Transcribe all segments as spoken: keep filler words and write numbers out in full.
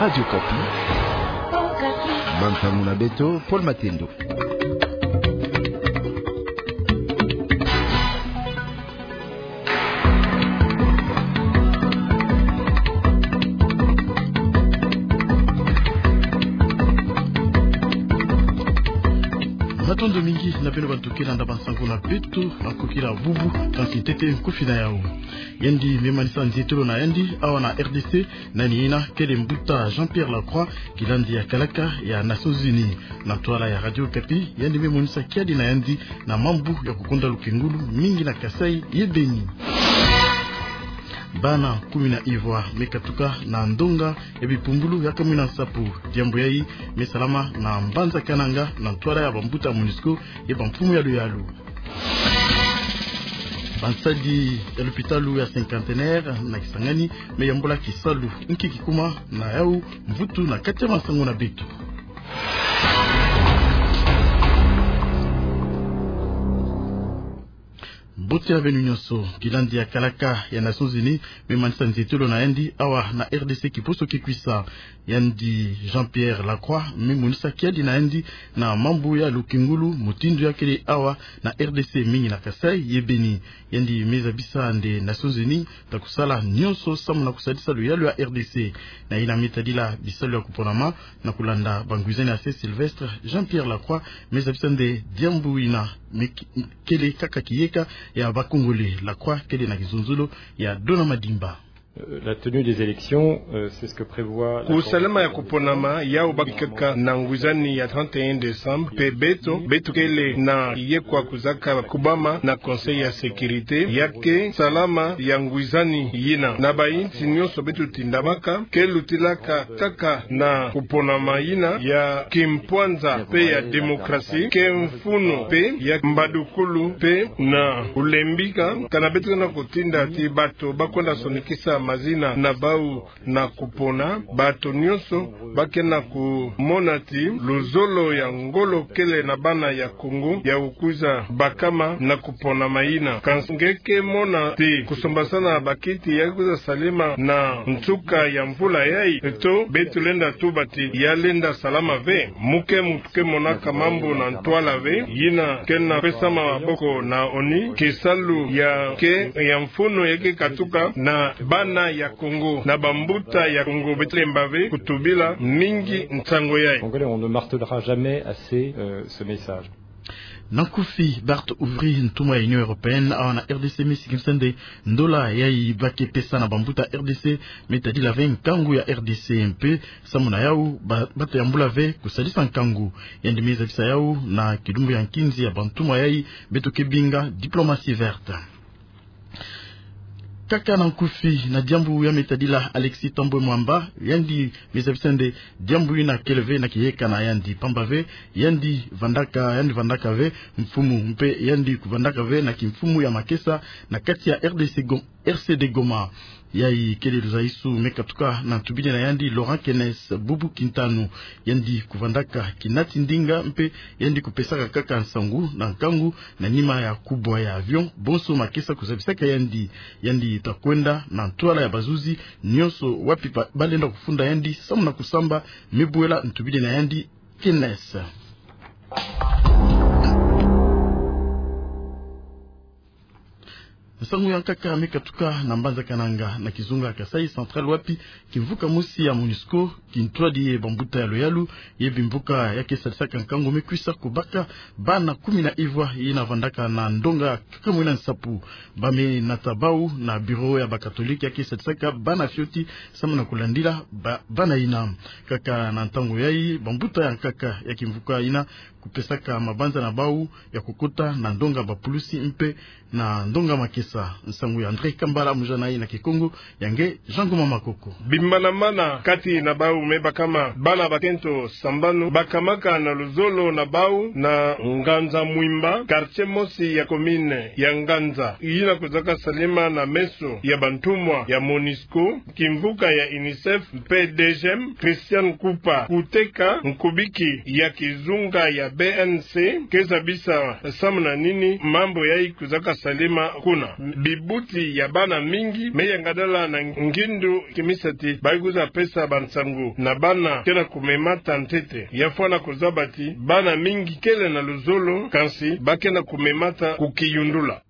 Radio Okapi. Bansangu na beto, Paul Matendo. Matondo mingi na beno bantu ke landa bansangu na beto, na kokila bubu, kansi ntete nkufi na yau. Yandi me manisa nzietolo na yandi awa na R D C, nani yina kele mbuta Jean-Pierre Lacroix, kilandi ya kalaka ya Nations Unies. Na ntwala ya Radio Okapi, yandi me monisa kiadi na yandi na mambu ya kukonda lukengulu mingi na Kasaï ye Beni. Bana kumi na ivwa me katuka na ndonga ya bipumbulu ya kamwina nsapu. Diambu yayi me salama na mbanza Kananga na ntwala ya bambuta ya MONUSCO ye bamfumu ya luyalu. Bansadi ya lupitalu ya Cinquantenaire na Kisangani me yambula kisalu. Nki kikuma na yau? Mvutu na kati ya bansangu na beto. Mbote ya beno nyonso. Kilandi ya kalaka ya Nations Unies me manisa nzietolo na yandi awa na R D C kiposo kikwisa. Yandi Jean-Pierre Lacroix me monisa kiadi na yandi na mambu ya lukengulu, mutindu ya kele awa na R D C, mingi na Kasaï ye Beni. Yandi me zabisa nde Nations Unies ta kusala nyonso samu na kusadisa luyalu ya R D C. Na yina me tadila bisalu ya kuponama na kulanda bangwizani ya se Sylvestre, Jean-Pierre Lacroix me zabisa nde diambu yina me k-, kele kaka kiyeka ya ba Congolais. Lacroix kele na kizunzulu ya Dona Madimba. Euh, la tenue des élections, euh, c'est ce que prévoit la Convention. Kusalama ya kuponama yau baki kaka na ngwizani ya trente et un décembre, mpe beto, beto kele na ye kwa kuzaka kubama na Conseil ya Sécurité, ya ke salama ya ngwizani yina. Na bayinsi nyonso beto tindamaka, ke lutilaka kaka na kuponama yina ya kimpwanza mpe ya démocratie, ke mfunu mpe ya mbadukulu mpe na kulembika, kana beto na kutinda ti bato ba kwenda sonikisa mazina na bau na kupona, bato nyonso ba ke na kumona ti luzolo ya ngolo kele na bana ya Congo ya kukwiza bakama na kuponama yina. Kansi nge ke mona ti kusombasana bakiti ya kwiza salema na nsuka ya mvula yayi, to beto lenda tuba ti ya lenda salama ve? Muke mutu ke monaka mambu na ntwala ve, yina ke na pesama maboko na ONU, kisalu ya ke ya mfunu ya ke katuka na bana ya Congo, na bambuta ya Congo, beto lemba ve kutubila mingi nsangu yayi. Congolais, on ne martèlera jamais assez, euh, ce message. Na nkufi, Bart Ouvry, ntumwa ya Union Européenne awa na R D C, me sikimisa nde ndola yayi ba ke pesa na bambuta R D C me tadila ve nkangu ya R D C, mpe samu na yau ba, ba ta yambula ve kusadisa nkangu. Yandi me zabisa yau na kilumbu ya nkinzi ya bantumwa yayi beto ke binga diplomatie verte. Kaka na nkufi na diambu ya me tadila Alexis Thambwe Mwamba, yandi me zabisa nde diambu yina kele ve na kiyeka na yandi, pamba ve yandi vandaka, yandi vandaka ve mfumu, mpe yandi kuvandaka ve na kimfumu ya makesa na kati ya R D C Go-, R C D Goma. Yayi kele luzaisu me katuka na ntubidi na yandi Laurent Kenes, bubu kintanu. Yandi kuvandaka kinati ndinga, mpe yandi kupesaka kaka nsangu na nkangu na nima ya kubwa ya avion bonso makesa kuzabisaka yandi. Yandi ta kwenda na ntwala ya bazuzi nyonso wapi ba, ba lenda kufunda yandi samu na kusamba, me bwela ntubidi na yandi Kenes. Nsangu ya nkaka me katuka na mbanza Kananga, na kizunga Kasaï Central, wapi kimvuka mosi ya MONUSCO kintwadi ye bambuta ya luyalu ye bimvuka ya ke sadisaka nkangu me kwisa kubaka bana kumi na ivwa yina vandaka na ndonga kaka mwina nsapu. Ba me nata bau na bureau ya bakatolike ya ke sadisaka bana fioti samu na kulandila ba, bana yina. Kaka na ntangu yayi, bambuta ya nkaka ya kimvuka yina kupesaka mabanza na bau ya kukota na ndonga bapulusi mpe na ndonga makesa. Nsangu ya André Kambala, mujana yayi na Kikongo ya nge Jean Ngoma Makoko. Bimbanamana kati na bau me bakama bana bakento sambanu, bakamaka na luzolo na bau na Nganza Mwimba, quartier mosi ya commune ya Nganza, yina kwizaka salema na meso ya bantumwa ya MONUSCO, kimvuka ya UNICEF mpe DGM, Christian Kupa, kuteka nkubiki ya kizunga ya B N C ke zabisa samu na nini mambu yayi kwizaka salama kuna. Bibuti ya bana mingi me yangadala na ngindu, kimisa ti ba kwiza pesa bansangu na bana ke na kumemata ntete. Ya fwana kuzaba ti bana mingi kele na luzolo, kansi ba ke na kumemata kukiyundula.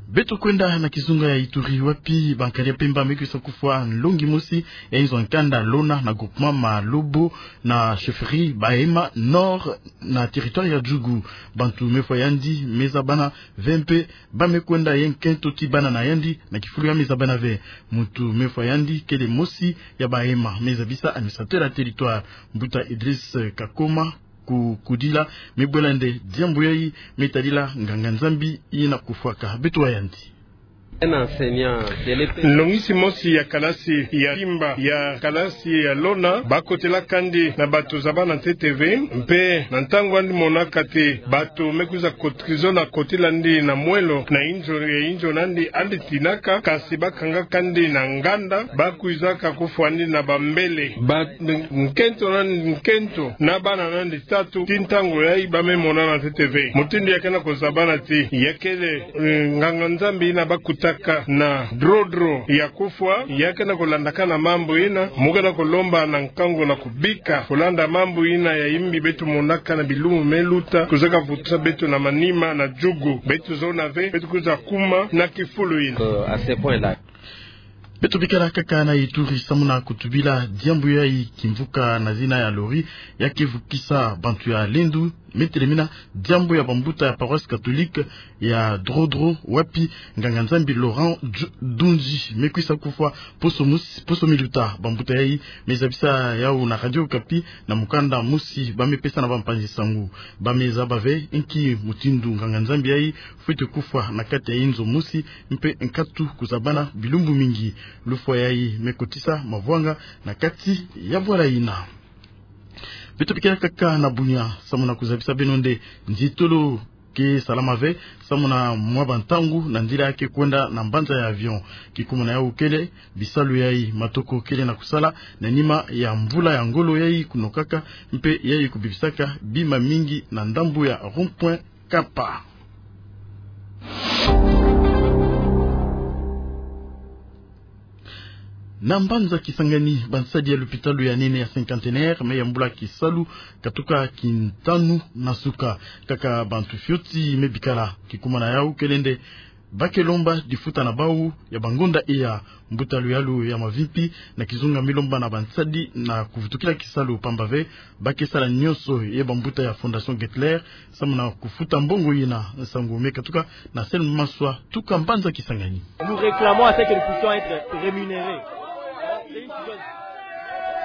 Beto kwenda na kizunga ya Ituri, wapi bankadi ya mpemba me kwisa kufwa nlongi mosi ya inzo ya nkanda Lona na groupement Malobo na chefferie Bahema Nord na territoire ya Djugu. Bantu me fwa yandi me za bana ve mpe ba me kwenda ye nkento ti bana na yandi na kifulu ya me za bana ve. Muntu me fwa yandi kele mosi ya Bahema, me zabisa administrateur ya territoire, Mbuta Idriss Kakoma. Ku, kudila me bwela nde diambu yayi me tadila nganga-Nzambi yina kufwaka. Beto wa yandi. Un enseignant de l'E P. Nlongisi mosi ya kalasi ya simba ya kalasi ya Lona, ba kotela kandi na bantu za bana ntete ve, mpe na ntangu yandi monaka ti bantu me kwiza kot-, kwiza na kotila yandi na mwelo na inzo, ya inzo nandi, yandi tinaka, kansi ba kanga kandi na nganda, ba kwizaka kufwa yandi na bambele. Ba nkento na nkento na bana nandi tatu, ti ntangu yayi ba me monana ntete ve. Mutindu ya ke na kuzabana ti ya kele, eh, nganga-Nzambi yina ba kutaka na drodro ya kufwa, ya ke na kulandakana mambu yina, mu ke na kulomba na nkangu na kubika, kulanda mambu yina ya yimbi beto monaka na bilumbu me luta, kwizaka vutisa beto na manima na Djugu. Beto zona ve, beto kwiza kuma na kifulu yina. Euh, à ce point-là. Beto bikala kaka na Ituri samu na kutubila diambu yayi, kimvuka na zina ya lori ya ke vukisa bantu ya Lendu me telemina diambu ya bambuta ya paroisse catholique ya Drodro, wapi nganga-Nzambi Laurent Dju-, Dunzi me kwisa kufwa poso mosi, poso mi luta. Bambuta yayi me zabisa yawu na Radio Okapi na mukanda mosi ba me pesa na bampanzi sangu. Ba me zaba ve nki mutindu nganga-Nzambi yayi fwete kufwa na kati ya inzo mosi, mpe nkatu kuzabana bilumbu mingi. Lufwa yayi me kotisa mavwanga na kati ya bwala yina. Beto bikala kaka na Bunia samu na kuzabisa beno nde nzitolo ke salama ve samu na mwa bantangu na nzila ya ke kwenda na mbanza ya avion. Kikuma na yawu kele bisalu yayi matoko kele na kusala na nima ya mvula ya ngolo yayi kunokaka, mpe yayi kubibisaka bima mingi na ndambu ya rond-point Kapa. Na mbanza Kisangani, bansadi ya lupitalu ya nene ya Cinquantenaire me yambula kisalu katuka kintanu na suka. Kaka bantu fioti me bikala. Kikuma na yawu kele nde ba ke lomba difuta na bawu ya bangonda iya. Mbuta luyalu ya mavimpi na kizunga me lomba na bansadi na kuvutukila kisalu, pamba ve ba ke sala nyonso ye bambuta ya Fondation Gettler samu na kufuta mbongo yina. Nsangu me katuka na Selma Maswa, tuka mbanza Kisangani. Nous réclamons à ce que nous puissions être rémunérés.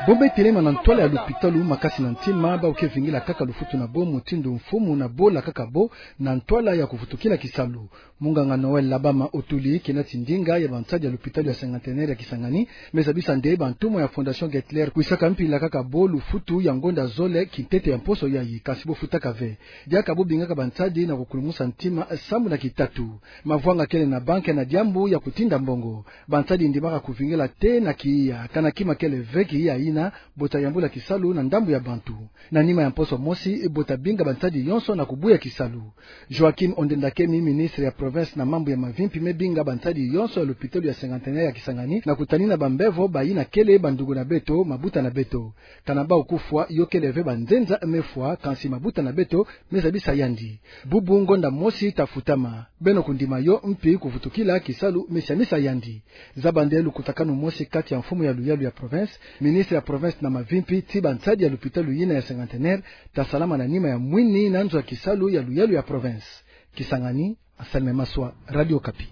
Bo me telema na ntwala ya lupitalu makasi na ntima, bawu ke vingila kaka lufutu na bo mutindu mfumu na bo lakaka bo na ntwala ya kuvutukila kisalu. Munganga Noël Labama Otuli, kena ti ndinga ya bansadi ya lupitalu ya Cinquantenaire ya Kisangani, me zabisa nde bantumwa ya Fondation Gettler kwisaka mpila kaka bo lufutu ya ngonda zole kintete ya mposo yayi, kansi bo futaka ve. Diaka bo bingaka bansadi na kukulumusa ntima sambu na kitatu. Mavwanga kele na banke na diambu ya kutinda mbongo. Bansadi ndimaka kuvingila te na kiya, kana kima kele ve kiya yina, bo ta yambula kisalu na ndambu ya bantu. Na nima ya mposo mosi, bo ta binga bansadi yonso na kubuya kisalu. Joachim Ondendakemi, ministre ya province na mambu ya mavimpi, me binga bansadi yonso ya lupitalu ya Cinquantenaire ya Kisangani na kutanina bambevo bayina kele bandugu na beto, mabuta na beto. Kana bawu kufwa, yo kele ve banzenza me fwa, kansi mabuta na beto me zabisa yandi. Bubu ngonda mosi ta futama. Beno kundima yo, mpi kuvutukila kisalu me siamisa yandi. Zaba nde lukutakanu mosi kati ya mfumu ya luyalu ya province, ministre ya province na mavimpi, ti bansadi ya lupitalu yina ya Cinquantenaire ta salama na nima ya mwini na nzo ya kisalu ya luyalu ya province. Kisangani, Anselme Maswa, Radio Okapi.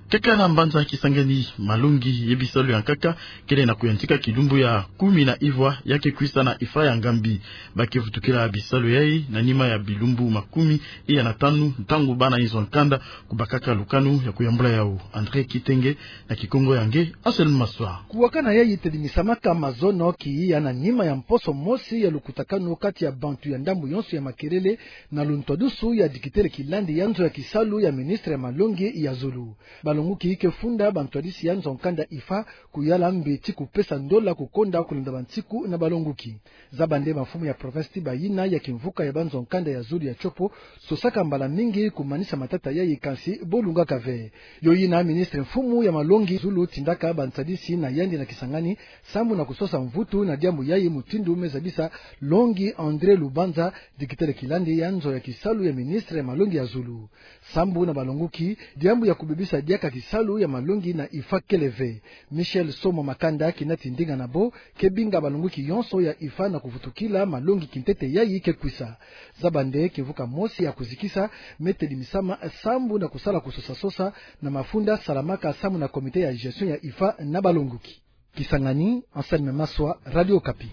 Kaka na mbanza Kisangani, malongi ye bisalu ya nkaka kele na kuyantika kilumbu ya kumi na ivwa ya ke kwisa na Ifra ya Ngambi. Ba ke vutukila bisalu yayi na nima ya bilumbu makumi iya na tanu, ntangu bana inzo ya nkanda kubakaka lukanu ya kuyambula yawu. André Kitenge, na kikongo ya nge Anselme Maswa. Kuwakana yayi tedimisamaka mazono kiya na nima ya mposo mosi ya lukutakanu kati ya bantu ya ndambu yonso ya makelele, na luntwadusu ya dikitele kilandi ya nzo ya kisalu ya ministre ya malongi ya zulu. Balonguki ke funda bantwadisi ya nzo-nkanda IFA kuyala mbi ti kupesa ndola kukonda kulanda bansiku na balonguki. Zaba nde bamfumu ya province ti bayina ya kimvuka ya banzo-nkanda ya zulu ya Tshopo sosaka mbala mingi kumanisa matata yayi, kansi bo lungaka ve. Yo yina ministre mfumu ya malongi zulu tindaka bantwadisi na yandi na Kisangani sambu na kusosa mvutu na diambu yayi, mutindu me zabisa longi André Lubanza, dikitele kilandi ya nzo ya kisalu ya ministre ya malongi ya zulu. Sambu na balonguki, diambu ya kubebisa diaka kisalu ya malongi na IFA kele ve. Michel Somo Makanda, kinati ndinga na bo, ke binga balonguki yonso ya IFA na kuvutukila malongi kintete yayi ke kwisa. Zaba nde kimvuka mosi ya kuzikisa me tedi misama sambu na kusala kusosa-sosa na mafunda salamaka sambu na comité ya gestion ya IFA na balonguki. Kisangani, Anselme Maswa, Radio Okapi.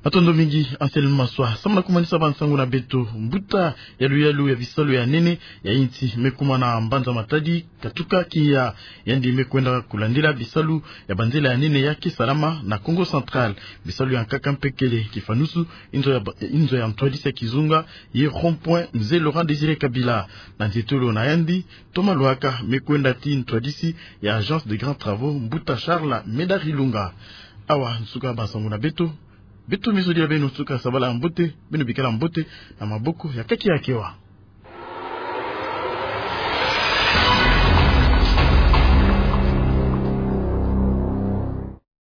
Matondo mingi, Anselme Maswa. Sambu na kumanisa bansangu na beto, mbuta ya luyalu ya bisalu ya nene ya insi me kuma na mbanza Matadi, katuka kia yandi me kwenda kulandila bisalu ya banzela ya nene ya ke salama na Kongo Central. Bisalu ya nkaka mpe kele, kifanusu inzo ya ba-, inzo ya ntwadisi ya kizunga, ye rond-point Mzee Laurent Désiré Kabila. Na nzietolo na yandi, Thomas Lwaka me kwenda tii ntwadisi ya Agence de Grands Travaux, mbuta Charles Medard Ilunga. Awa nsuka bansangu na beto. Beto me zodila beno nsuka sabala ya mbote, beno bikala mbote na maboko ya kaki ya kewa.